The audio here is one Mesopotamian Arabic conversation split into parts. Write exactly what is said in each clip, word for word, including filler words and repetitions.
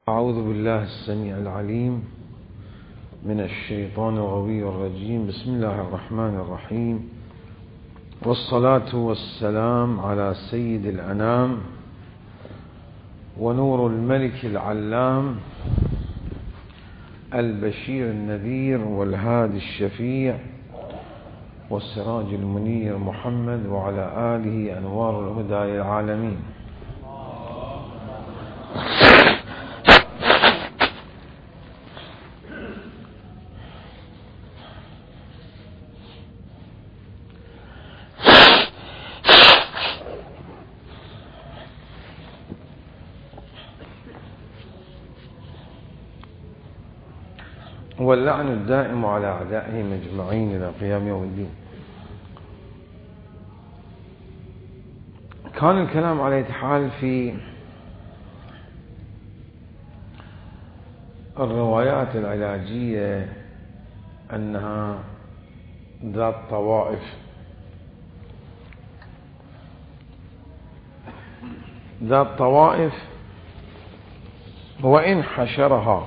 أعوذ بالله السميع العليم من الشيطان الغوي الرجيم. بسم الله الرحمن الرحيم، والصلاة والسلام على سيد الأنام ونور الملك العلام البشير النذير والهادي الشفيع والسراج المنير محمد وعلى آله أنوار الهدى للعالمين. واللعن الدائم على أعدائهم أجمعين إلى قيام يوم الدين. كان الكلام على أية حال في الروايات العلاجية أنها ذات طوائف ذات طوائف وإن حشرها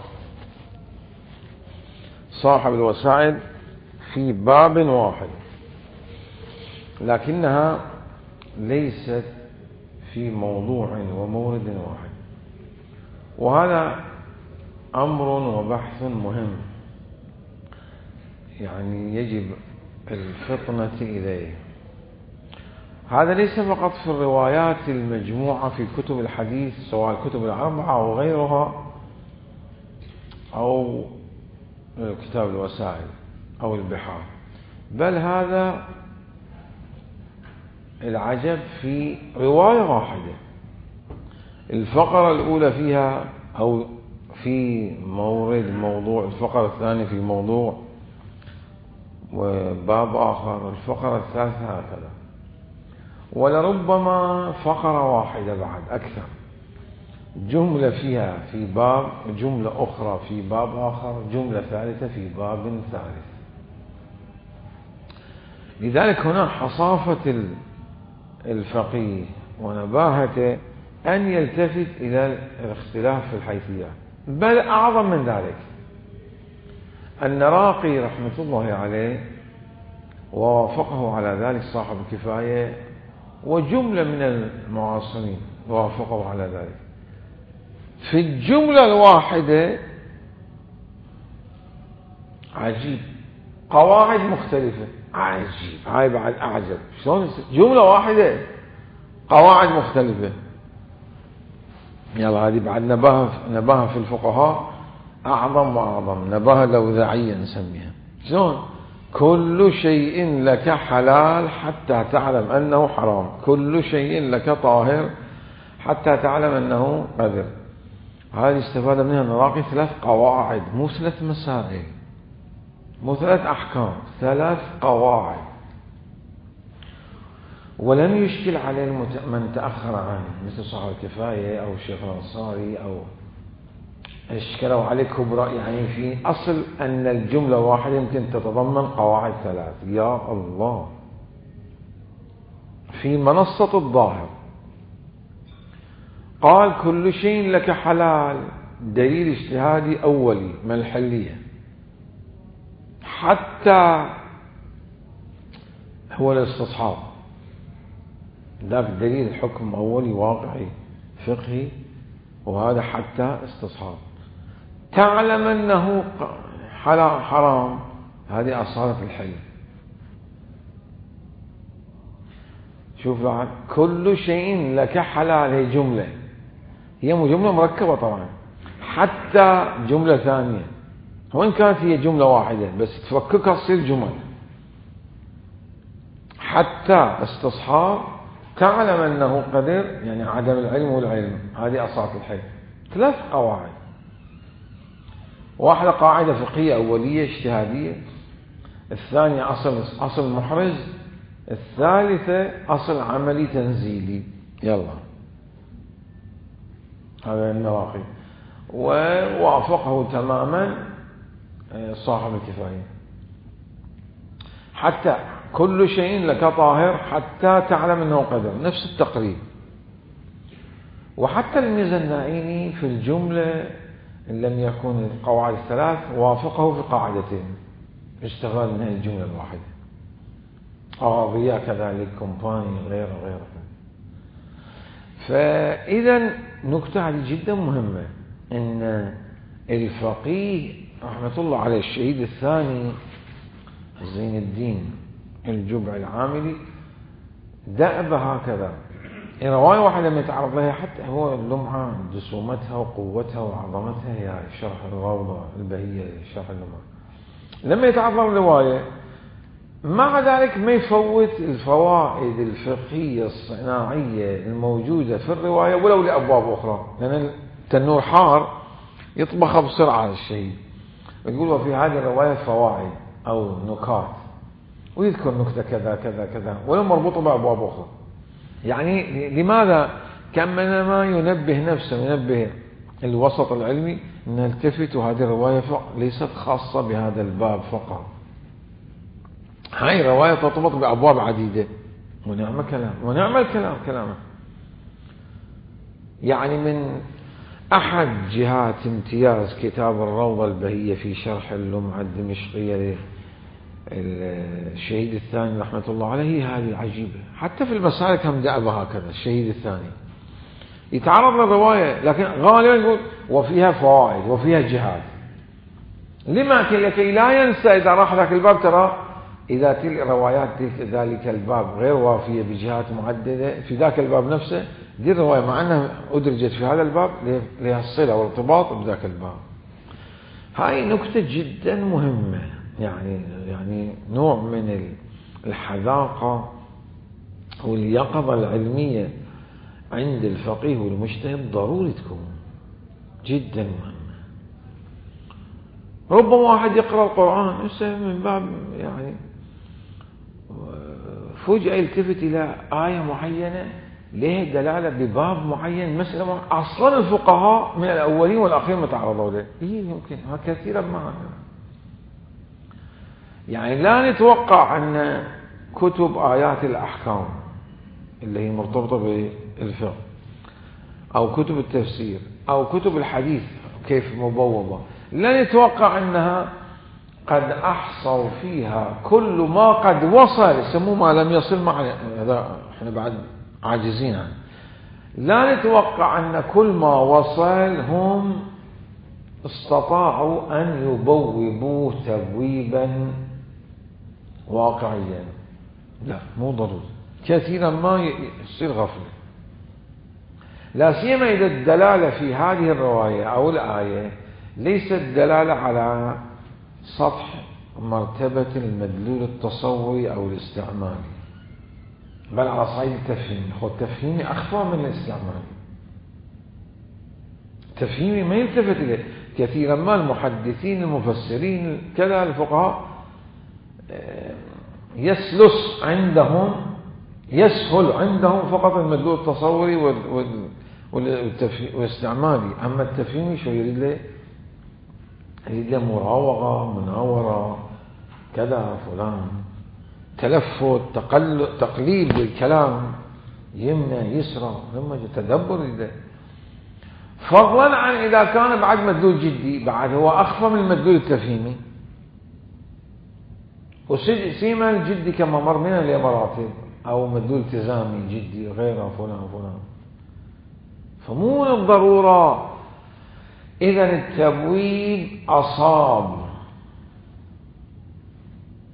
صاحب الوسائل في باب واحد، لكنها ليست في موضوع ومورد واحد، وهذا أمر وبحث مهم، يعني يجب الفطنة إليه. هذا ليس فقط في الروايات المجموعة في كتب الحديث سواء الكتب الأربعة أو غيرها أو كتاب الوسائل أو البحار، بل هذا العجب في رواية واحدة. الفقرة الأولى فيها أو في مورد موضوع، الفقرة الثانية في موضوع وباب آخر، الفقرة الثالثة هكذا، ولربما فقرة واحدة بعد أكثر، جملة فيها في باب، جملة أخرى في باب آخر، جملة ثالثة في باب ثالث. لذلك هنا حصافة الفقيه ونباهته أن يلتفت إلى الاختلاف في الحيثيات، بل أعظم من ذلك أن راقي رحمة الله عليه ووافقه على ذلك صاحب الكفاية وجملة من المعاصرين وافقوا على ذلك، في الجملة الواحدة عجيب قواعد مختلفة، عجيب، هاي بعد أعجب، شلون جملة واحدة قواعد مختلفة. يلا هذه بعد نباهة نباهة في الفقهاء أعظم وأعظم، نباهة لوذاعية نسميها. شلون كل شيء لك حلال حتى تعلم أنه حرام، كل شيء لك طاهر حتى تعلم أنه قذر. هذه استفاد منها نراقي ثلاث قواعد، مو ثلاث مسائل، مو ثلاث أحكام، ثلاث قواعد. ولم يشكل عليه من تأخر عنه مثل صاحب الكفاية أو الشيخ الأنصاري، أو اشكلوا عليه كبرى، يعني في أصل أن الجملة واحدة يمكن تتضمن قواعد ثلاث. يا الله، في منصة الظاهر قال كل شيء لك حلال، دليل اجتهادي أولي من الحلية، حتى هو الاستصحاب، ذاك دليل حكم أولي واقعي فقهي، وهذا حتى استصحاب. تعلم أنه حلال حرام، هذه أصالة الحل. شوف بعد كل شيء لك حلال، هي جملة، هي جملة مركبة طبعا، حتى جملة ثانية، وإن كانت هي جملة واحدة بس تفككها تصير جمل. حتى استصحاب، تعلم أنه قدر، يعني عدم العلم والعلم، هذه أصالة الحل. ثلاث قواعد، واحدة قاعدة فقهية أولية اجتهادية، الثانية أصل أصل محرز، الثالثة أصل عملي تنزيلي. يلا هذا النواقي، ووافقه تماما صاحب الكفاية. حتى كل شيء لك طاهر حتى تعلم أنه قدر، نفس التقريب. وحتى الميزانائي في الجملة إن لم يكن القواعد الثلاث وافقه في قاعدتين اشتغل من هذه الجملة الواحدة. أغاضية كذلك، كومباني، غيره غيره. فإذا نكتة هذه جدا مهمة، إن الفقيه رحمة الله عليه الشهيد الثاني زين الدين الجبع العاملي دأب هكذا. رواية واحدة لما يتعرض لها حتى هو اللمعة جسومتها وقوتها وعظمتها هي شرح الروضة البهية شرح اللمعة، لما يتعرض للرواية مع ذلك ما يفوت الفوائد الفقهية الصناعية الموجودة في الرواية ولو لأبواب أخرى، لأن التنور حار يطبخ بسرعة الشيء، يقول وفي هذه الرواية فوائد أو نكات، ويذكر نكتة كذا كذا كذا ولو مربوطة بأبواب أخرى. يعني لماذا كأنما ينبه نفسه، ينبه الوسط العلمي أن التفت هذه الرواية ليست خاصة بهذا الباب فقط، هاي الرواية ترتبط بأبواب عديدة. ونعم كلام ونعم الكلام كلامه. يعني من أحد جهات امتياز كتاب الروضة البهية في شرح اللمعة الدمشقية الشهيد الثاني رحمة الله عليه هذه عجيبة. حتى في المسالك هم دأب هكذا. الشهيد الثاني يتعرض للرواية لكن غالبا يقول وفيها فوائد وفيها جهات. لما لكي لا ينسى إذا راح ذاك الباب، ترى إذا تلك روايات تلك ذلك الباب غير وافية بجهات معددة في ذاك الباب نفسه، دي الرواية مع أنها أدرجت في هذا الباب لها الصلة والارتباط بذاك الباب. هاي نكتة جدا مهمة، يعني يعني نوع من الحذاقة واليقظة العلمية عند الفقيه والمجتهد ضروري تكون جدا مهمة. ربما واحد يقرأ القرآن من باب يعني فجأة يلتفت إلى آية معينة لها دلالة بباب معين، مسألة أصلا الفقهاء من الأولين والأخير متعرضوا له. إيه يمكن كثيرا ما يعني لا نتوقع أن كتب آيات الأحكام اللي هي مرتبطة بالفقه أو كتب التفسير أو كتب الحديث كيف مبوضة، لا نتوقع أنها قد أحصوا فيها كل ما قد وصل، يسموه ما لم يصل معنا، هذا احنا بعد عاجزين عنه. لا نتوقع أن كل ما وصل هم استطاعوا أن يبوبوه تبويبا واقعيا، لا مو ضروري. كثيرا ما يصير غفلة، لا سيما إذا الدلالة في هذه الرواية أو الآية ليست دلالة على سطح مرتبة المدلول التصوري أو الاستعمالي، بل على صعيد التفهيم. هو التفهيمي أخفى من الاستعمالي. التفهيمي ما يلتفت إليه كثيرا ما المحدثين المفسرين كذا الفقهاء يسلس عندهم يسهل عندهم فقط المدلول التصوري والاستعمالي، أما التفهيمي شو يريد له؟ يريد له مراوغة، مناورة، كذا فلان، تلفت، تقليل بالكلام، يمنى يسرى، لما تدبر يريد. فضلا عن إذا كان بعد مدلول جدي، بعد هو أخفى من المدلول التفهيمي، وسيما الجدي كما مر من المراتب أو مدلول التزامي جدي غيره فلان فلان. فمو من الضرورة إذا التبويب أصاب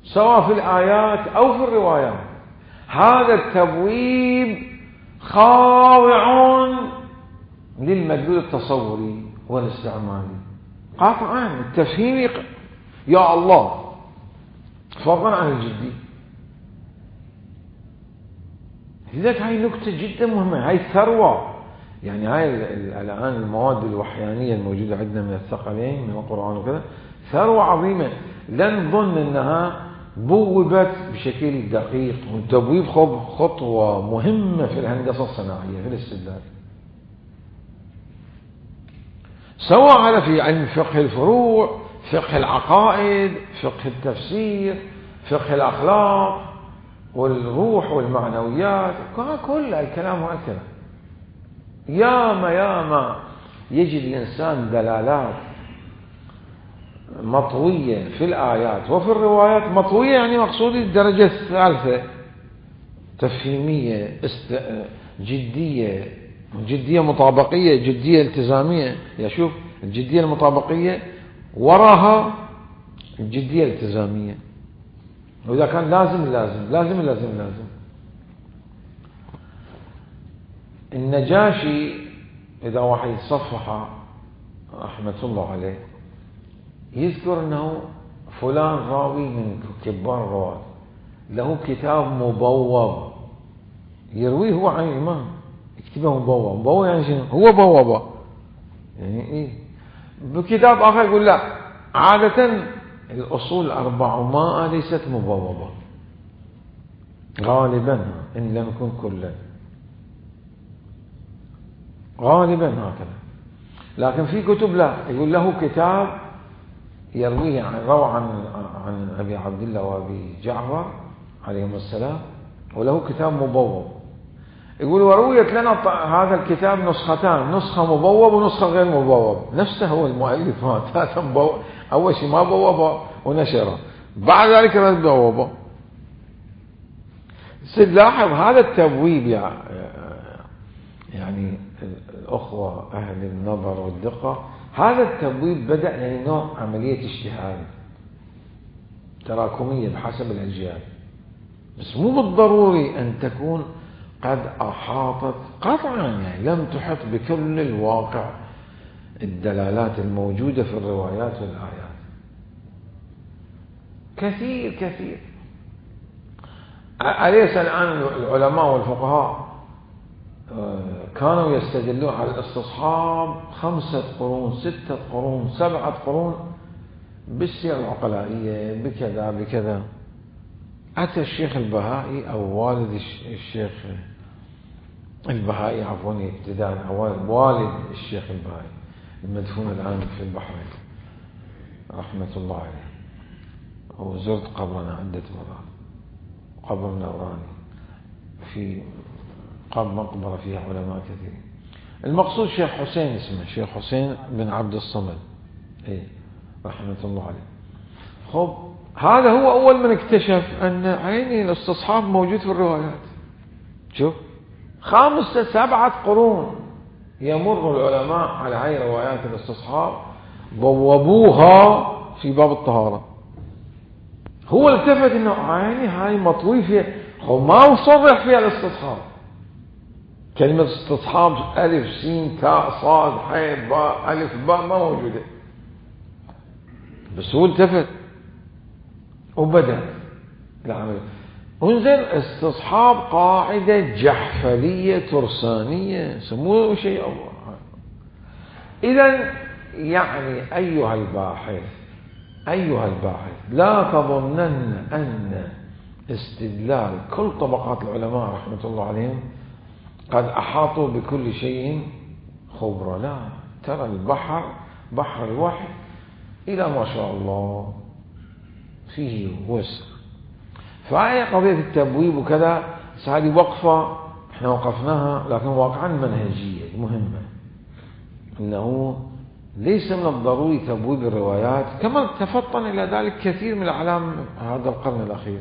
سواء في الآيات أو في الروايات. هذا التبويب خاضع للمدلول التصوري والاستعمالي قاطعا. التفهيمي يا الله فضلا عن الجدي. لذلك هاي نكتة جدا مهمة، هاي ثروة. يعني هاي الآن المواد الوحيانية الموجودة عندنا من الثقلين من القرآن وكذا ثروة عظيمة، لا نظن أنها بوبت بشكل دقيق. والتبويب خطوة مهمة في الهندسة الصناعية في الاستدلال، سواء على في علم فقه الفروع، فقه العقائد، فقه التفسير، فقه الأخلاق والروح والمعنويات، كل الكلام هكذا. ياما ياما يجد الإنسان دلالات مطوية في الآيات وفي الروايات. مطوية يعني مقصود الدرجة الثالثة، تفهيمية، است... جدية، جدية مطابقية، جدية التزامية. يا شوف الجدية المطابقية وراها الجدية الالتزامية، وإذا كان لازم لازم لازم لازم لازم. النجاشي إذا واحد يتصفح رحمة الله عليه يذكر أنه فلان راوي من كبار الرواة له كتاب مبوب يرويه هو عن الإمام، يكتبه مبوب. مبوب يعني شنو؟ هو بوبه يعني إيه. بكتاب آخر يقول لا، عادة الأصول الأربعمائة ليست مبوبة غالبا إن لم يكن كلا، غالبا هكذا. لكن في كتب لا، يقول له كتاب يرويه عن روى عن عن أبي عبد الله وأبي جعفر عليهم السلام، وله كتاب مبوب. يقول ورويت لنا هذا الكتاب نسختان، نسخة مبوب ونسخة غير مبوب. نفسه هو المؤلف هذا مبوب، أول شيء ما بوبه ونشره، بعد ذلك رد بوبه. لاحظ هذا التبويب يعني الأخوة أهل النظر والدقة، هذا التبويب بدأ يعني نوع عملية اجتهاد تراكمية بحسب الأجيال، بس مو بالضروري أن تكون قد أحاطت قطعا، يعني لم تحط بكل الواقع الدلالات الموجودة في الروايات والآيات. كثير كثير. أليس الآن العلماء والفقهاء كانوا يستدلون على الاستصحاب خمسة قرون، ستة قرون، سبعة قرون بالسيرة العقلائية بكذا بكذا. أتى الشيخ البهائي أو والد الشيخ البهائي عفوا ابتداء، والد الشيخ البهائي المدفون الآن في البحرين رحمة الله عليه، وزرت قبرنا عدة مرات، قبر نوراني في قبر مقبرة فيها علماء كثيرين. المقصود شيخ حسين اسمه شيخ حسين بن عبد الصمد إيه رحمة الله عليه. خب هذا هو أول من اكتشف أن عيني الاستصحاب موجود في الروايات. شوف خمسة سبعة قرون يمر العلماء على هاي روايات الاستصحاب بوبوها في باب الطهارة. هو التفت انه عيني هاي مطوي فيها، هو ما صرح فيها الاستصحاب. كلمة استصحاب ألف سين تاء صاد حاء باء ألف باء ما موجودة، بس هو التفت وبدأ العمل. انزل استصحاب قاعدة جحفلية ترسانية سموه شيء الله. إذن يعني أيها الباحث أيها الباحث لا تظنن أن استدلال كل طبقات العلماء رحمة الله عليهم قد أحاطوا بكل شيء خبرة. لا، ترى البحر بحر الوحي إلى ما شاء الله فيه وسع. فهي قضية التبويب وكذا هذه وقفة احنا وقفناها، لكن واقعا منهجية مهمة، انه ليس من الضروري تبويب الروايات، كما تفطن الى ذلك كثير من الاعلام هذا القرن الاخير،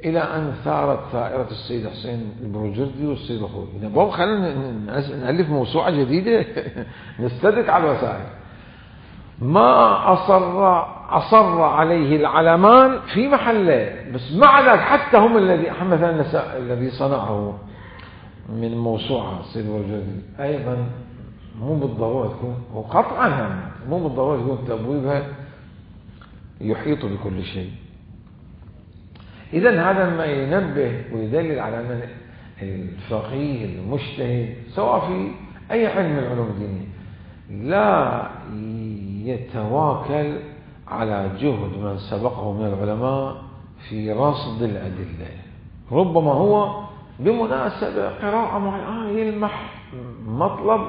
الى ان ثارت ثائرة السيد حسين البروجردي والسيد الخوئي. نبغى خلينا نألف موسوعة جديدة نستدرك على الوسائل. ما أصر أصر عليه العلمان في محله، بس مع ذلك حتى هم الذي مثلا الذي صنعه من موسوعة السيد البروجردي أيضا مو بالضرورة تكون، وقطعا مو بالضرورة تكون تبويبها يحيط بكل شيء. إذن هذا ما ينبه ويدلل على أن الفقيه المجتهد سواء في أي علم من العلوم الدينية لا يتواكل على جهد من سبقه من العلماء في رصد الأدلة. ربما هو بمناسبة قراءة معينة يلمح مطلب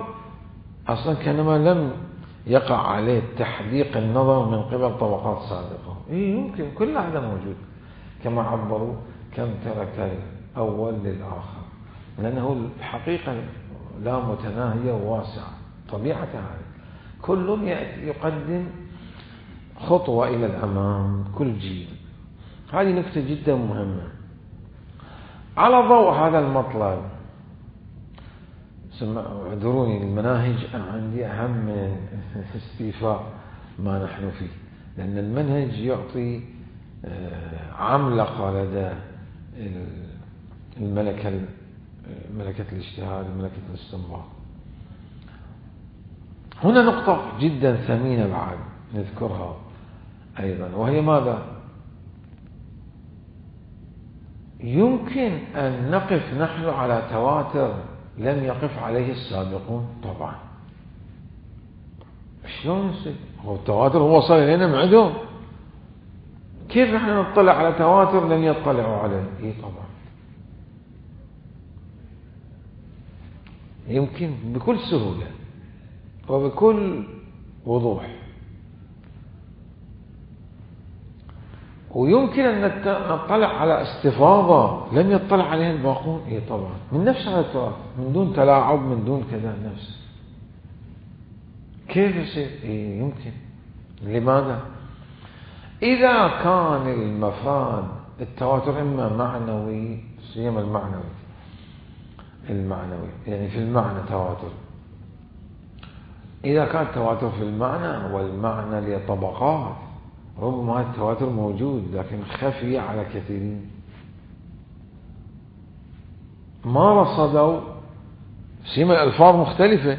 أصلا كانما لم يقع عليه تحديق النظر من قبل طبقات سابقة. إيه يمكن كل هذا موجود، كما عبروا كم ترك الأول للآخر، لأنه الحقيقة لا متناهية وواسعة طبيعة هذا. كل يقدم خطوة إلى الأمام كل جيل. هذه نكتة جدا مهمة. على ضوء هذا المطلب، اعذروني، المناهج عندي أهم من استيفاء ما نحن فيه، لأن المنهج يعطي عملقة لدى الملكة ملكة الاجتهاد وملكة الاستنباط. هنا نقطة جدا ثمينة بعد نذكرها أيضا، وهي ماذا؟ يمكن أن نقف نحن على تواتر لم يقف عليه السابقون؟ طبعا. شلون يصير؟ هو التواتر هو وصل إلينا من عندهم، كيف نحن نطلع على تواتر لم يطلعوا عليه؟ إيه طبعا يمكن بكل سهولة وبكل وضوح. ويمكن أن نطلع على استفاضة لم يطلع عليها الباقون؟ إيه طبعا، من نفس هذا التراث، من دون تلاعب، من دون كذا، نفس. كيف يصير؟ إيه يمكن. لماذا؟ إذا كان المفاد التواتر إما معنوي، سيما المعنوي المعنوي يعني في المعنى تواتر، إذا كان التواتر في المعنى والمعنى لطبقات، ربما التواتر موجود لكن خفي على كثيرين، ما رصدوا سيما الألفاظ مختلفة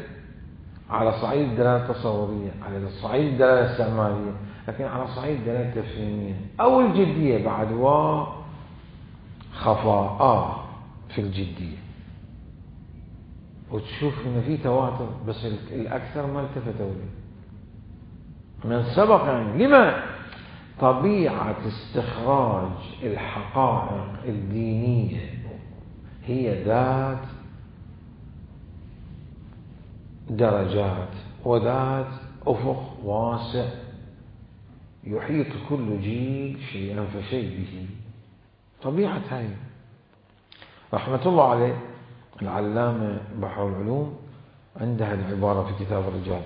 على صعيد الدلالة التصورية، على صعيد الدلالة الاستعمالية، لكن على صعيد الدلالة التفهيمية أو الجدية بعد وخفاء في الجدية، وتشوف إن في تواتر بس الأكثر ما التفتوا له من سبق. يعني لما؟ طبيعة استخراج الحقائق الدينية هي ذات درجات وذات أفق واسع يحيط كل جيل شيئا فشيء به. طبيعة هاي. رحمة الله عليه العلامة بحر العلوم عندها العبارة في كتاب الرجال: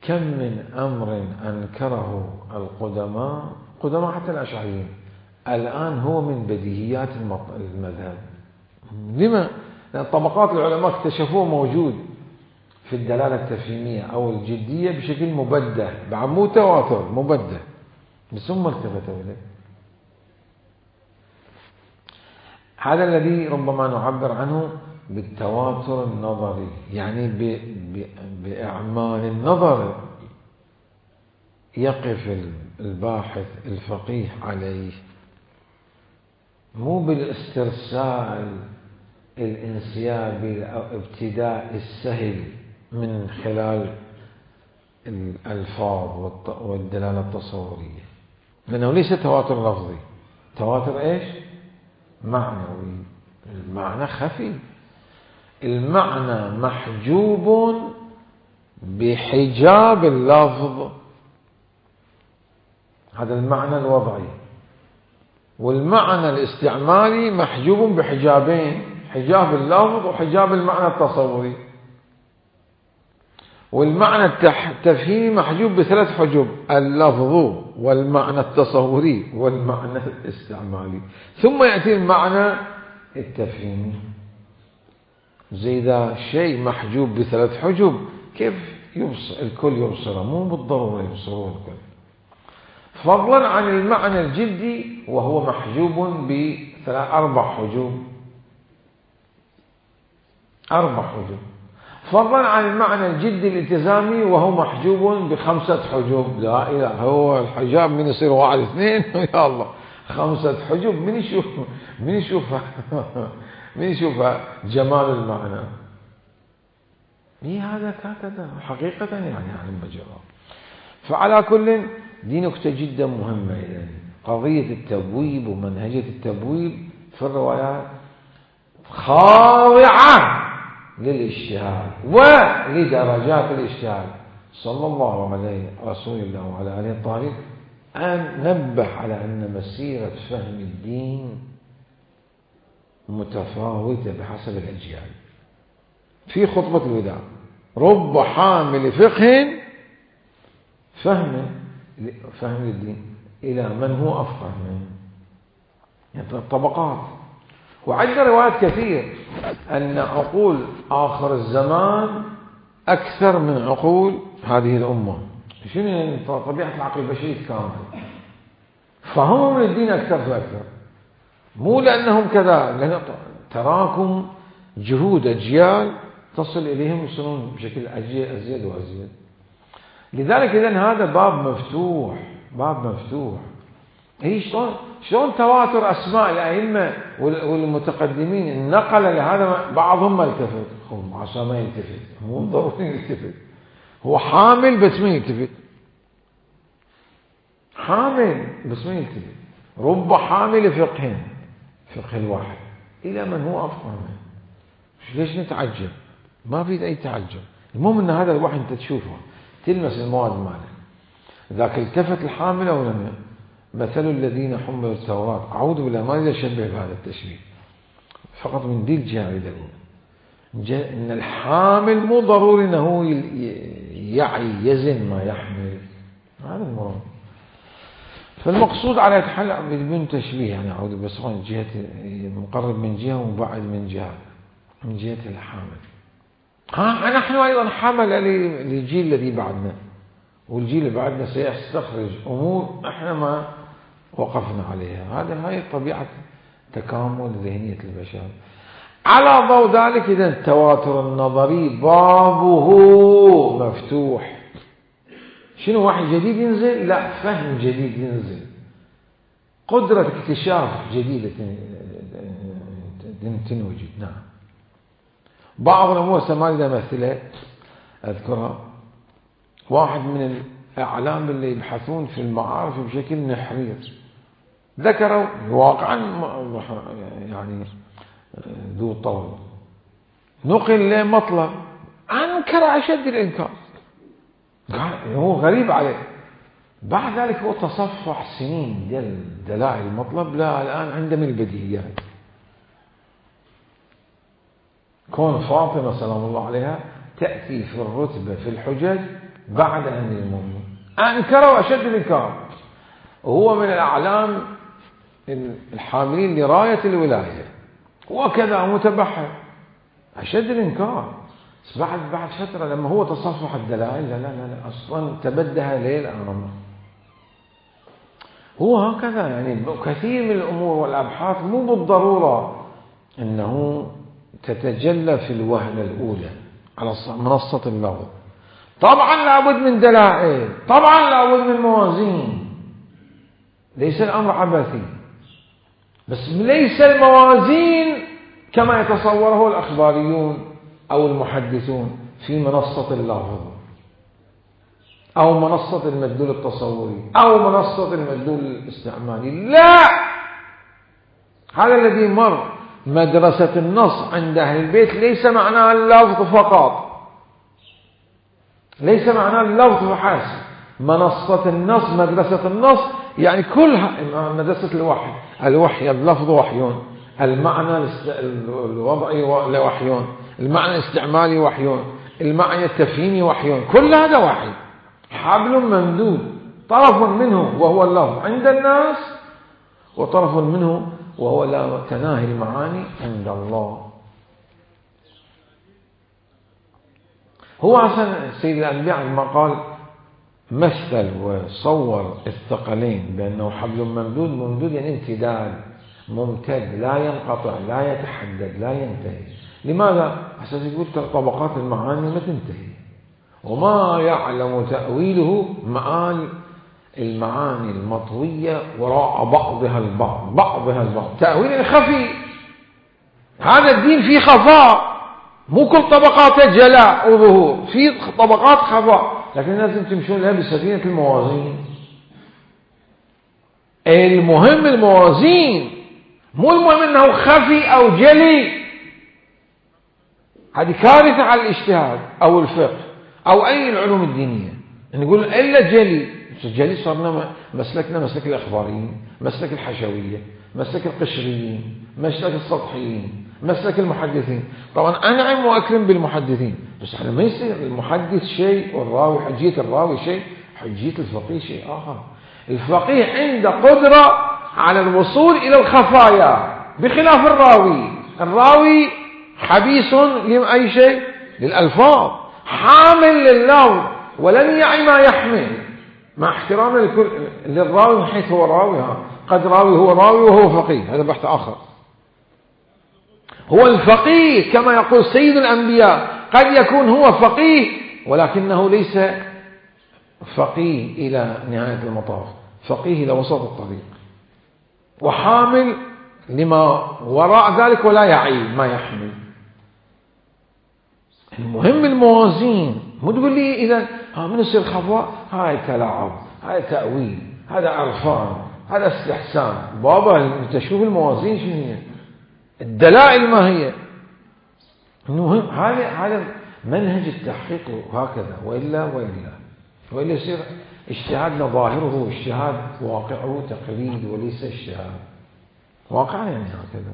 كم من أمر أنكره القدماء قدماء حتى الأشعريين الآن هو من بديهيات المذهب. لما؟ لأن طبقات العلماء اكتشفوه موجود في الدلالة التفهيمية أو الجدية بشكل مبدع، بعد مو تواتر، مبدع، بس هم التفتوا إليه. هذا الذي ربما نعبر عنه بالتواتر النظري، يعني ب... ب... بإعمال النظر يقف الباحث الفقيه عليه، مو بالاسترسال الانسيابي أو ابتداء السهل من خلال الألفاظ والدلالة التصورية، لأنه ليس تواتر لفظي، تواتر إيش؟ معنوي. المعنى خفي، المعنى محجوب بحجاب اللفظ، هذا المعنى الوضعي، والمعنى الاستعمالي محجوب بحجابين، حجاب اللفظ وحجاب المعنى التصوري. والمعنى التفهيمي محجوب بثلاث حجب: اللفظ والمعنى التصوري والمعنى الاستعمالي، ثم يأتي المعنى التفهيمي. زي ذا شيء محجوب بثلاث حجب، كيف يبصر الكل يبصره؟ مو بالضرورة يبصرون الكل، فضلا عن المعنى الجدي وهو محجوب بثلاث أربع حجوب، أربع حجوب، فضلا عن المعنى الجدي الالتزامي وهو محجوب بخمسة حجوب. لا إله، هو الحجاب من يصير واحد اثنين يا الله، خمسة حجوب، من يشوف من يشوفها من يشوفها جمال المعنى. إيه هذا هكذا حقيقة يعني عن بجرة. فعلى كل دي نكتة جدا مهمة، يعني قضية التبويب ومنهجية التبويب في الروايات خاضعة للاجتهاد ولدرجات الاجتهاد. صلى الله عليه رسول الله وعلى آله الطاهرين أن نبه على أن مسيرة فهم الدين متفاوتة بحسب الأجيال. في خطبة الوداع رب حامل فقه فهم فهم الدين إلى من هو أفقه منه، يعني طبقات. وعندنا روايات كثير أن عقول آخر الزمان أكثر من عقول هذه الأمة. شنو طبيعة العقل البشري كامل، فهم من الدين أكثر فأكثر، مو لأنهم كذا، لأن تراكم جهود أجيال تصل إليهم يصلون بشكل أزيد وأزيد. لذلك إذن هذا باب مفتوح، باب مفتوح. هي شلون شلون تواتر أسماء الأئمة والمتقدمين النقل لهذا، بعضهم ما يلتفت، هم عشان ما يلتفت، مو ضروري يلتفت، هو حامل بس ما يلتفت، حامل بس ما يلتفت. رب حامل فقه، فقه الواحد إلى من هو أفقه منه. ليش نتعجب؟ ما في أي تعجب. المهم أن هذا الواحد أنت تشوفه تلمس المواد ماله. ذاك التفت الحامل أو لم يلتفت. مثل الذين حملوا التوراة، أعوذ بالله ما يشبه بهذا التشبيه، فقط من دي الجهة الأولى إن الحامل مو ضروري أنه يعي يزن ما يحمل، هذا المراد. فالمقصود على يتحلق بدون تشبيه، يعني أعوذ بس من جهة مقرب من جهة ومبعد من جهة، من جهة الحامل. ها نحن أيضا حمل للجيل الذي بعدنا، والجيل اللي بعدنا سيستخرج أمور احنا ما وقفنا عليها. هذا هاي طبيعة تكامل ذهنية البشر. على ضوء ذلك إذا التواتر النظري بابه مفتوح. شنو واحد جديد ينزل؟ لا، فهم جديد ينزل، قدرة اكتشاف جديدة تنوجد. نعم. بعض الأمور سمالي مثلة أذكرها، واحد من الأعلام اللي يبحثون في المعارف بشكل نحرير ذكروا واقعا يعني ذو طول، نقل له مطلب أنكر أشد الإنكار، هو غريب عليه. بعد ذلك هو تصفح سنين دل دلائل المطلب، لا الآن عنده من البديهيات. كون فاطمة سلام الله عليها تأتي في الرتبة في الحجج بعد أمير المؤمنين، أنكروا أشد الإنكار، وهو من الأعلام الحاملين لراية الولاية وكذا متبحر، أشد الإنكار. بس بعد بعد فترة لما هو تصفح الدلائل، لا لا لا أصلا تبدها ليل أمر. هو هكذا يعني كثير من الأمور والأبحاث مو بالضرورة أنه تتجلى في الوهلة الأولى على منصة اللفظ. طبعا لابد من دلائل، طبعا لابد من موازين، ليس الأمر عبثي، بس ليس الموازين كما يتصوره الأخباريون أو المحدثون في منصة اللفظ أو منصة المدلول التصوري أو منصة المدلول الاستعمالي. لا، هذا الذي مر مدرسة النص عند أهل البيت ليس معناه اللفظ فقط، ليس معناه اللفظ فحسب. منصة النص، مدرسة النص يعني كلها مدرسة الوحي، الوحي اللفظ وحيون، المعنى الوضعي وحيون، المعنى الاستعمالي وحيون، المعنى التفهيمي وحيون، كل هذا وحي. حبل ممدود، طرف منه وهو اللفظ عند الناس، وطرف منه وهو لا تناهي المعاني عند الله. هو أصلا سيد الأنبياء عندما قال مثل وصور الثقلين بأنه حبل ممدود، ممدود يعني امتداد، ممتد، لا ينقطع، لا يتحدد، لا ينتهي. لماذا؟ عشان يقول طبقات المعاني ما تنتهي، وما يعلم تأويله معاني المعاني المطوية وراء بعضها البعض، بعضها البعض، تأويل خفي. هذا الدين فيه خفاء، مو كل طبقات جلاء وظهور، في طبقات خفاء، لكن لازم تمشون لها بسفينة الموازين. المهم الموازين، مو المهم انه خفي او جلي. هذه كارثة على الاجتهاد او الفقه او اي العلوم الدينية، نقول الا جلي. الجلي صارنا مسلكنا مسلك الاخباريين، مسلك الحشوية، مسلك القشريين، مسلك السطحيين، مسلك المحدثين. طبعا أنعم وأكرم بالمحدثين، بس على ما يصير المحدث شيء والراوي حجية الراوي شيء، حجية الفقيه شيء آخر. الفقيه عنده قدرة على الوصول إلى الخفايا بخلاف الراوي. الراوي حبيس لأي شيء، للألفاظ، حامل لللفظ ولن يعي ما يحمل، مع احترام الكل للراوي من حيث هو راوي. قد راوي هو راوي وهو فقيه، هذا بحث آخر. هو الفقيه كما يقول سيد الأنبياء، قد يكون هو فقيه ولكنه ليس فقيه إلى نهاية المطاف، فقيه إلى وسط الطريق، وحامل لما وراء ذلك ولا يعي ما يحمل. المهم الموازين. مو تقول لي إذا ها من يصير خفاء، هاي تلاعب، هاي تأويل، هذا عرفان، هذا استحسان. بابا انت شوف الموازين شنو هي، الدلائل ما هي. المهم هذا هذا منهج التحقيق هكذا، وإلا وإلا وإلا يصير اجتهادنا ظاهره اجتهاد، واقعه تقليد وليس اجتهاد واقع، يعني هكذا.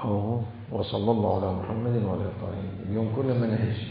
أوه. وصلى الله على محمد وعلى آله. اليوم كل منهج